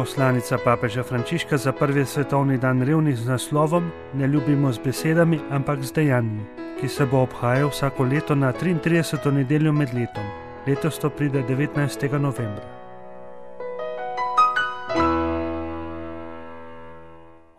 Poslanica papeža Frančiška za prvi svetovni dan revnih z naslovom Ne ljubimo z besedami, ampak z dejanji, ki se bo obhajal vsako leto na 33. nedeljo med letom. Letos to pride 19. novembra.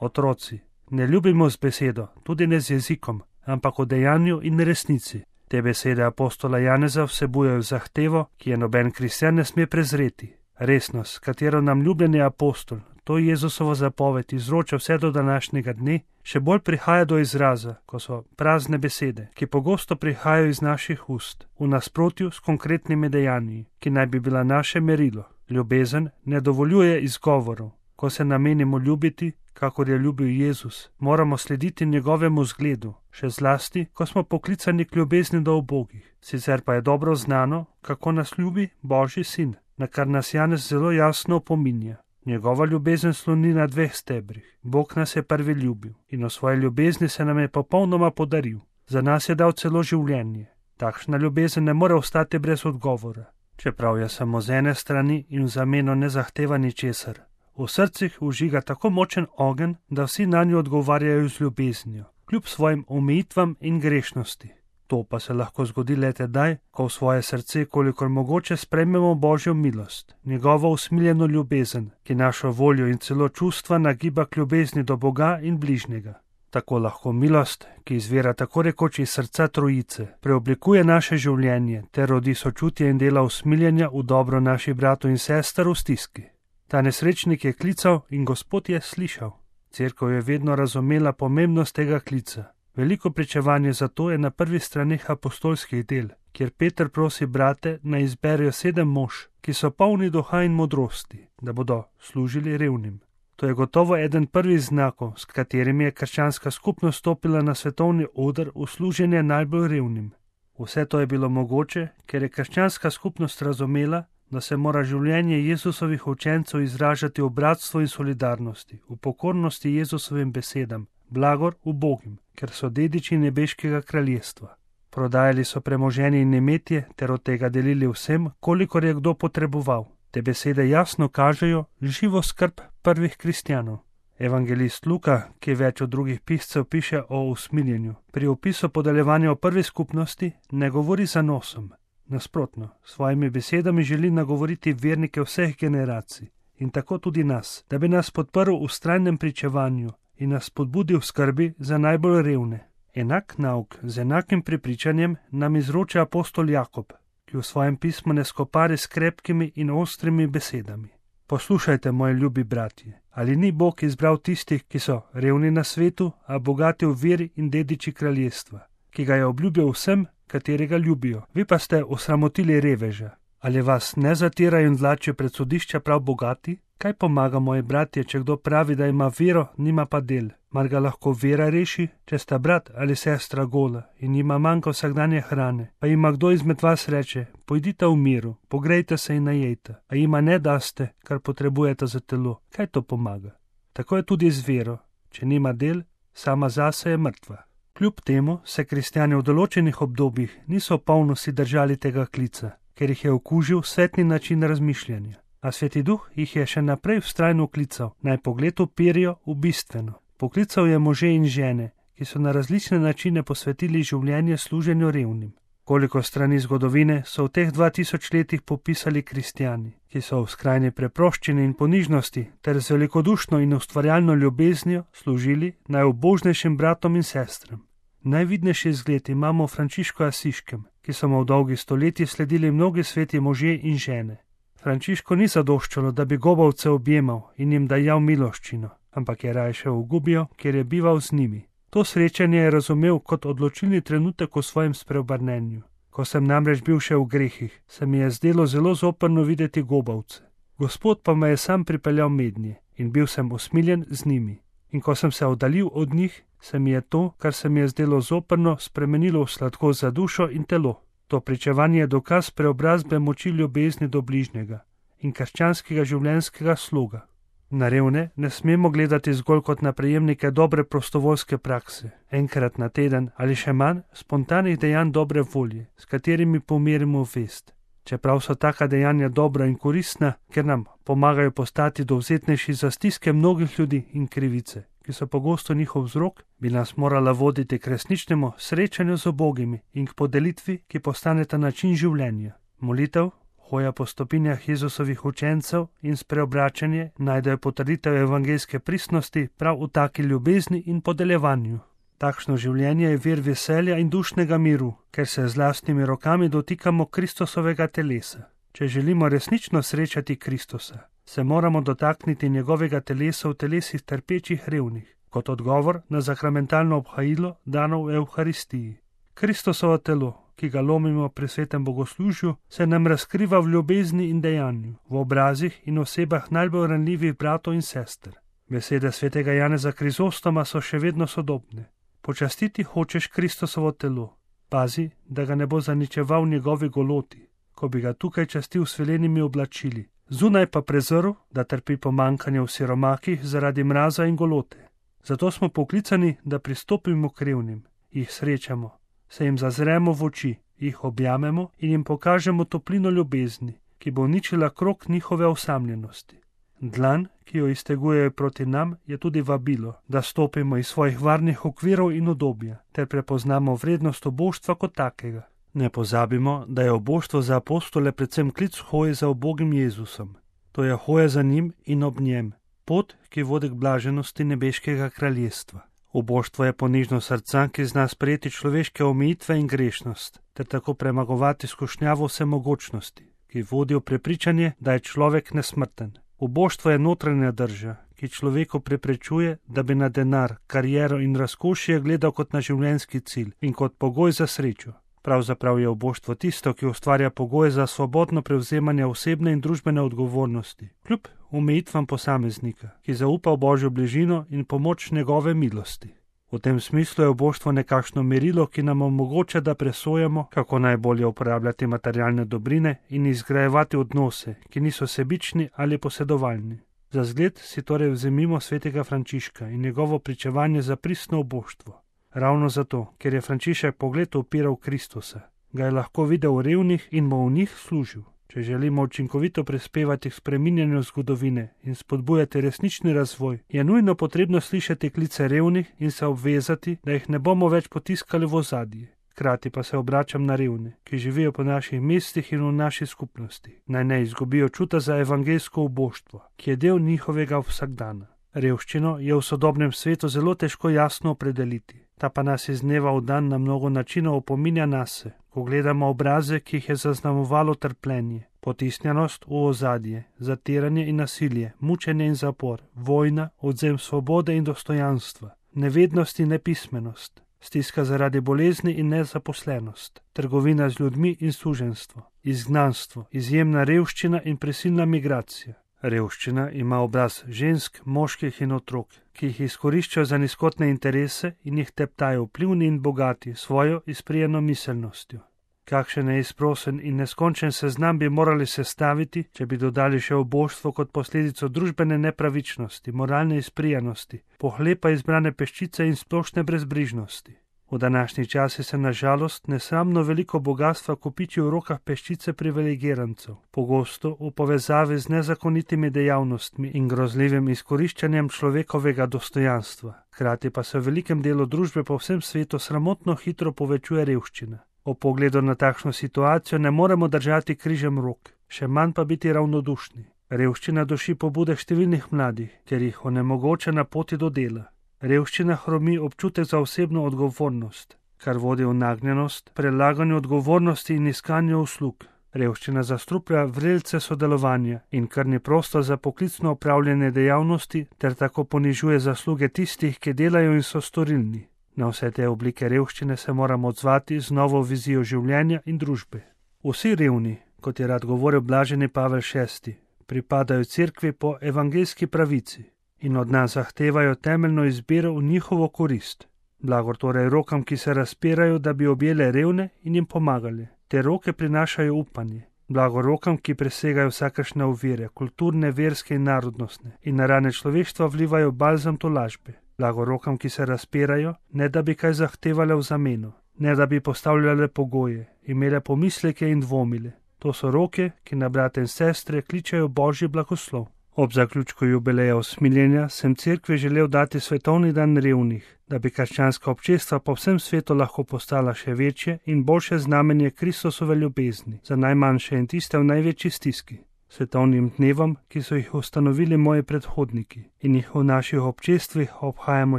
Otroci, ne ljubimo z besedo, tudi ne z jezikom, ampak v dejanju in resnici. Te besede apostola Janeza vsebujejo zahtevo, ki je noben kristjan ne sme prezreti. Resnost, katero nam ljubljeni apostol, to je Jezusovo zapoved, izroča vse do današnjega dne, še bolj prihaja do izraza, ko so prazne besede, ki pogosto prihajajo iz naših ust, v nasprotju s konkretnimi dejanji, ki naj bi bila naše merilo. Ljubezen ne dovoljuje izgovorov. Ko se namenimo ljubiti, kakor je ljubil Jezus, moramo slediti njegovemu zgledu, še zlasti, ko smo poklicani k ljubezni do ubogih. Sicer pa je dobro znano, kako nas ljubi Božji sin, na kar nas Janez zelo jasno opominja. Njegova ljubezen sloni na dveh stebrih. Bog nas je prvi ljubil in o svoji ljubezni se nam je popolnoma podaril. Za nas je dal celo življenje. Takšna ljubezen ne more ostati brez odgovora, čeprav je samo z ene strani in v zameno ne zahteva ničesar. V srcih užiga tako močen ogenj, da vsi nanjo odgovarjajo z ljubeznijo, kljub svojim omejitvam in grešnosti. To pa se lahko zgodi le tedaj, ko v svoje srce kolikor mogoče sprejmemo Božjo milost, njegovo usmiljeno ljubezen, ki našo voljo in celo čustva nagiba k ljubezni do Boga in bližnjega. Tako lahko milost, ki izvira tako rekoč iz srca Trojice, preoblikuje naše življenje ter rodi sočutje in dela usmiljenja v dobro naših bratov in sester v stiski. Ta nesrečnik je klical in Gospod je slišal. Cerkev je vedno razumela pomembnost tega klica. Veliko pričevanje za to je na prvih straneh apostolskih del, kjer Peter prosi brate, naj izberejo 7 mož, ki so polni duha in modrosti, da bodo služili revnim. To je gotovo eden prvih znakov, s katerimi je krščanska skupnost stopila na svetovni oder v služenje najbolj revnim. Vse to je bilo mogoče, ker je krščanska skupnost razumela, da se mora življenje Jezusovih učencev izražati v bratstvu in solidarnosti, v pokornosti Jezusovim besedam, blagor ubogim, ker so dediči nebeškega kraljestva. Prodajali so premoženje in imetje ter od tega delili vsem, kolikor je kdo potreboval. Te besede jasno kažejo živo skrb prvih kristjanov. Evangelist Luka, ki več od drugih piscev piše o usmiljenju, pri opisu podeljevanja v prvi skupnosti ne govori za nosom. Nasprotno, svojimi besedami želi nagovoriti vernike vseh generacij in tako tudi nas, da bi nas podprl v vztrajnem pričevanju in nas spodbudil v skrbi za najbolj revne. Enak nauk z enakim prepričanjem nam izroča apostol Jakob, ki v svojem pismu ne skopari s krepkimi in ostrimi besedami. Poslušajte, moji ljubi bratje, ali ni Bog izbral tistih, ki so revni na svetu, a bogati v veri in dediči kraljestva, ki ga je obljubil vsem, katerega ljubijo. Vi pa ste osramotili reveža. Ali vas ne zatirajo in vlačijo pred sodišča prav bogati? Kaj pomaga, moji bratje, če kdo pravi, da ima vero, nima pa del? Mar ga lahko vera reši, če sta brat ali sestra gola in ima manjka vsakdanje hrane, pa ima kdo izmed vas reče, pojdite v miru, pogrejte se in najejte, a jima ne daste, kar potrebujete za telo. Kaj to pomaga? Tako je tudi z vero. Če nima del, sama zase je mrtva. Kljub temu se kristjani v določenih obdobjih niso v polnosti držali tega klica, ker jih je okužil svetni način razmišljanja. A Sveti Duh jih je še naprej vztrajno klical, naj pogled uperijo v bistveno. Poklical je može in žene, ki so na različne načine posvetili življenje služenju revnim. Koliko strani zgodovine so v teh 2000 letih popisali kristjani, ki so v skrajni preproščini in ponižnosti ter z velikodušno in ustvarjalno ljubeznijo služili najubožnejšim bratom in sestram. Najvidnejši zgled imamo v Frančišku Asiškem, ki so mu v dolgih stoletjih sledili mnogi sveti možje in žene. Frančišku ni zadoščalo, da bi gobavce objemal in jim dajal miloščino, ampak je raje šel v Gubijo, kjer je bival z njimi. To srečanje je razumel kot odločilni trenutek v svojem spreobrnenju. Ko sem namreč bil še v grehih, se mi je zdelo zelo zoprno videti gobavce. Gospod pa me je sam pripeljal mednje in bil sem usmiljen z njimi. In ko sem se oddaljil od njih, se mi je to, kar se mi je zdelo zoprno, spremenilo v sladkost za dušo in telo. To pričevanje je dokaz preobrazbe moči ljubezni do bližnjega in krščanskega življenjskega sloga. Na revne ne smemo gledati zgolj kot na prejemnike dobre prostovoljske prakse, enkrat na teden ali še manj spontanih dejanj dobre volje, s katerimi pomirimo vest. Čeprav so taka dejanja dobra in koristna, ker nam pomagajo postati dovzetnejši za stiske mnogih ljudi in krivice, ki so pogosto njihov vzrok, bi nas morala voditi k resničnemu srečanju z ubogimi in k podelitvi, ki postaneta način življenja. Molitev, hoja po stopinjah Jezusovih učencev in spreobračanje najdejo potrditev evangeljske pristnosti prav v taki ljubezni in podeljevanju. Takšno življenje je vir veselja in dušnega miru, ker se z lastnimi rokami dotikamo Kristusovega telesa. Če želimo resnično srečati Kristusa, se moramo dotakniti njegovega telesa v telesih trpečih revnih, kot odgovor na sakramentalno obhajilo dano v Evharistiji. Kristusovo telo, ki ga lomimo pri svetem bogoslužju, se nam razkriva v ljubezni in dejanju, v obrazih in osebah najbolj ranljivih bratov in sester. Besede svetega Janeza Krizostoma so še vedno sodobne. Počastiti hočeš Kristusovo telo, pazi, da ga ne bo zaničeval njegovi goloti, ko bi ga tukaj častil s velenimi oblačili, zunaj pa prezrl, da trpi pomanjkanje v siromakih zaradi mraza in golote. Zato smo poklicani, da pristopimo k revnim, jih srečamo, se jim zazremo v oči, jih objamemo in jim pokažemo toplino ljubezni, ki bo uničila krog njihove osamljenosti. Dlan, ki jo iztegujejo proti nam, je tudi vabilo, da stopimo iz svojih varnih okvirov in udobja, ter prepoznamo vrednost oboštva kot takega. Ne pozabimo, da je oboštvo za apostole predvsem klic hoje za ubogim Jezusom. To je hoja za njim in ob njem, pot, ki vodi k blaženosti nebeškega kraljestva. Oboštvo je ponižno srca, ki zna sprejeti človeške omejitve in grešnost, ter tako premagovati skušnjavo vsemogočnosti, ki vodi v prepričanje, da je človek nesmrten. Oboštvo je notranja drža, ki človeku preprečuje, da bi na denar, kariero in razkošje gledal kot na življenjski cilj in kot pogoj za srečo. Pravzaprav je oboštvo tisto, ki ustvarja pogoje za svobodno prevzemanje osebne in družbene odgovornosti, kljub omejitvam posameznika, ki zaupa v Božjo bližino in pomoč njegove milosti. V tem smislu je oboštvo nekakšno merilo, ki nam omogoča, da presojamo, kako najbolje uporabljati materialne dobrine in izgrajevati odnose, ki niso sebični ali posedovalni. Za zgled si torej vzemimo svetega Frančiška in njegovo pričevanje za pristno oboštvo. Ravno zato, ker je Frančišek pogled upiral Kristusa, ga je lahko videl v revnih in mu v njih služil. Če želimo učinkovito prispevati k spreminjanju zgodovine in spodbujati resnični razvoj, je nujno potrebno slišati klice revnih in se obvezati, da jih ne bomo več potiskali v ozadje. Hkrati pa se obračam na revne, ki živijo po naših mestih in v naši skupnosti. Naj ne izgubijo čuta za evangeljsko uboštvo, ki je del njihovega vsakdana. Revščino je v sodobnem svetu zelo težko jasno opredeliti. Ta pa nas iz dneva v dan na mnogo načinov opominja nase, ko gledamo obraze, ki jih je zaznamovalo trpljenje, potisnjenost v ozadje, zatiranje in nasilje, mučenje in zapor, vojna, odvzem svobode in dostojanstva, nevednost in nepismenost, stiska zaradi bolezni in nezaposlenost, trgovina z ljudmi in suženjstvo, izgnanstvo, izjemna revščina in prisilna migracija. Revščina ima obraz žensk, moških in otrok, ki jih izkoriščajo za nizkotne interese in jih teptajo vplivni in bogati svojo izprijeno miselnostjo. Kakšen neizprosen in neskončen seznam bi morali sestaviti, če bi dodali še oboštvo kot posledico družbene nepravičnosti, moralne izprijenosti, pohlepa izbrane peščice in splošne brezbrižnosti. V današnji časi se nažalost nesramno veliko bogatstva kopiči v rokah peščice privilegirancev, pogosto v povezavi z nezakonitimi dejavnostmi in grozljivim izkoriščanjem človekovega dostojanstva. Hkrati pa se v velikem delu družbe po vsem svetu sramotno hitro povečuje revščina. Ob pogledu na takšno situacijo ne moremo držati križem rok, še manj pa biti ravnodušni. Revščina duši pobude številnih mladih, ker jih onemogoča na poti do dela. Revščina hromi občutek za osebno odgovornost, kar vodi v nagnjenost, prelaganju odgovornosti in iskanju uslug. Revščina zastruplja vrelce sodelovanja in krni prostor za poklicno opravljanje dejavnosti ter tako ponižuje zasluge tistih, ki delajo in so storilni. Na vse te oblike revščine se moramo odzvati z novo vizijo življenja in družbe. Vsi revni, kot je rad govoril blaženi Pavel VI, pripadajo cerkvi po evangeljski pravici in od nas zahtevajo temeljno izbiro v njihovo korist. Blagor torej rokam, ki se razpirajo, da bi objele revne in jim pomagali. Te roke prinašajo upanje. Blagor rokam, ki presegajo vsakršne ovire, kulturne, verske in narodnostne, in na rane človeštva vlivajo balzam tolažbe. Blagor rokam, ki se razpirajo, ne da bi kaj zahtevale v zameno, ne da bi postavljale pogoje, imele pomisleke in dvomile. To so roke, ki na brate in sestre kličejo Božji blagoslov. Ob zaključku jubileja usmiljenja sem cerkvi želel dati svetovni dan revnih, da bi krščanska občestva po vsem svetu lahko postala še večje in boljše znamenje Kristusove ljubezni za najmanjše in tiste v največji stiski. Svetovnim dnevom, ki so jih ustanovili moji predhodniki in jih v naših občestvih obhajamo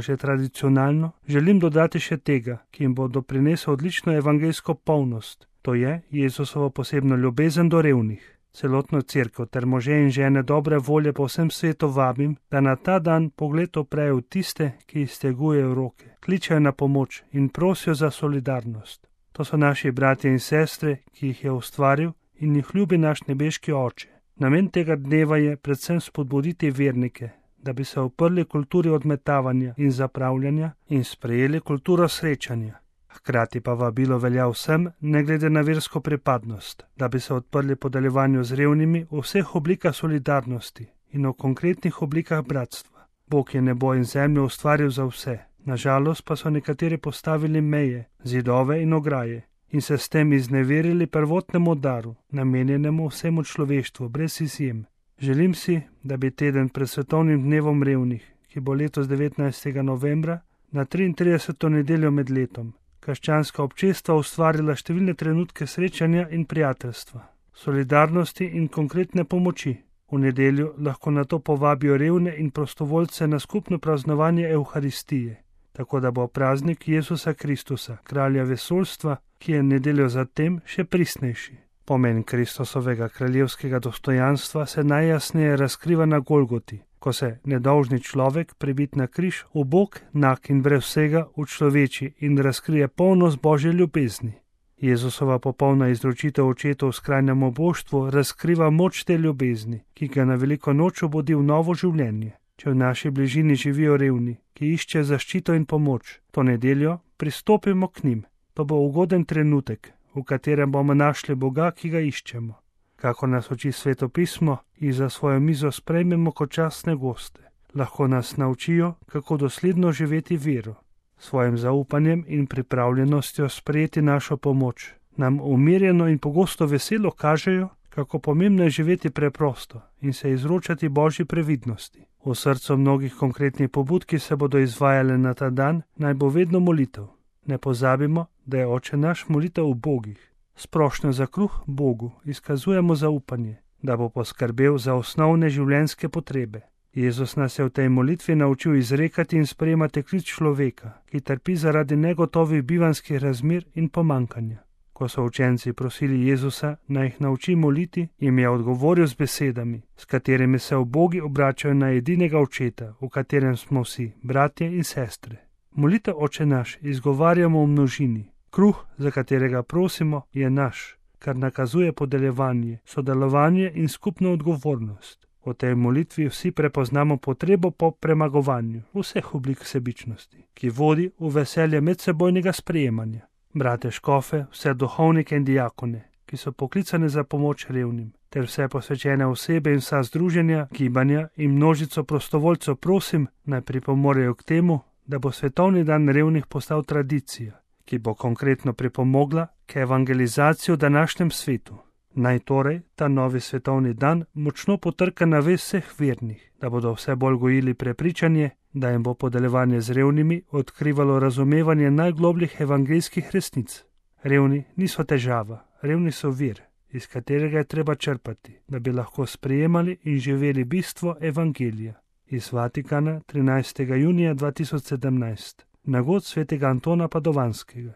že tradicionalno, želim dodati še tega, ki jim bo doprinesel odlično evangeljsko polnost, to je Jezusovo posebno ljubezen do revnih. Celotno cerkev ter može in žene dobre volje po vsem svetu vabim, da na ta dan pogled oprejo v tiste, ki iztegujejo roke, kličejo na pomoč in prosijo za solidarnost. To so naši bratje in sestre, ki jih je ustvaril in jih ljubi naš nebeški Oče. Namen tega dneva je predvsem spodbuditi vernike, da bi se uprli kulturi odmetavanja in zapravljanja in sprejeli kulturo srečanja. Hkrati pa vabilo velja vsem, ne glede na versko pripadnost, da bi se odprli podeljevanju z revnimi v vseh oblikah solidarnosti in v konkretnih oblikah bratstva. Bog je nebo in zemljo ustvaril za vse, nažalost pa so nekateri postavili meje, zidove in ograje in se s tem izneverili prvotnemu daru, namenjenemu vsemu človeštvu, brez izjem. Želim si, da bi teden pred svetovnim dnevom revnih, ki bo letos 19. novembra, na 33. nedeljo med letom, krščanska občestva ustvarila številne trenutke srečanja in prijateljstva, solidarnosti in konkretne pomoči. V nedeljo lahko na to povabijo revne in prostovoljce na skupno praznovanje Evharistije, tako da bo praznik Jezusa Kristusa, kralja vesoljstva, ki je nedeljo zatem še pristnejši. Pomen Kristusovega kraljevskega dostojanstva se najjasneje razkriva na Golgoti, ko se nedolžni človek, pribit na križ, ubog, nag in brez vsega, učloveči in razkrije polnost Božje ljubezni. Jezusova popolna izročitev očetu v skrajnem oboštvu razkriva moč te ljubezni, ki ga na veliko noč obudi v novo življenje. Če v naši bližini živijo revni, ki iščejo zaščito in pomoč, to nedeljo pristopimo k njim. To bo ugoden trenutek, v katerem bomo našli Boga, ki ga iščemo. Kako nas uči Sveto pismo, jih za svojo mizo sprejmemo kot častne goste. Lahko nas naučijo, kako dosledno živeti vero. Svojim zaupanjem in pripravljenostjo sprejeti našo pomoč nam umirjeno in pogosto veselo kažejo, kako pomembno je živeti preprosto in se izročati Božji previdnosti. V srcu mnogih konkretnih pobud, ki se bodo izvajale na ta dan, naj bo vedno molitev. Ne pozabimo, da je Oče naš molitev v Bogih. Sprošnjo za kruh Bogu izkazujemo zaupanje, da bo poskrbel za osnovne življenjske potrebe. Jezus nas je v tej molitvi naučil izrekati in sprejemati klic človeka, ki trpi zaradi negotovih bivanjskih razmer in pomankanja. Ko so učenci prosili Jezusa, naj jih nauči moliti, jim je odgovoril z besedami, s katerimi se v Bogi obračajo na edinega Očeta, v katerem smo vsi, bratje in sestre. Molitev Oče naš izgovarjamo v množini. Kruh, za katerega prosimo, je naš, kar nakazuje podeljevanje, sodelovanje in skupno odgovornost. V tej molitvi vsi prepoznamo potrebo po premagovanju vseh oblik sebičnosti, ki vodi v veselje medsebojnega sprejemanja. Brate škofe, vse duhovnike in diakone, ki so poklicane za pomoč revnim, ter vse posvečene osebe in vsa združenja, gibanja in množico prostovoljcev prosim, naj pripomorejo k temu, da bo svetovni dan revnih postal tradicija, ki bo konkretno pripomogla k evangelizaciji v današnjem svetu. Naj torej ta novi svetovni dan močno potrka na vest vseh vernih, da bodo vse bolj gojili prepričanje, da jim bo podeljevanje z revnimi odkrivalo razumevanje najglobljih evangeljskih resnic. Revni niso težava, revni so vir, iz katerega je treba črpati, da bi lahko sprejemali in živeli bistvo evangelija. Iz Vatikana 13. junija 2017. Nagod svetega Antona Padovanskega.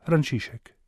Frančišek.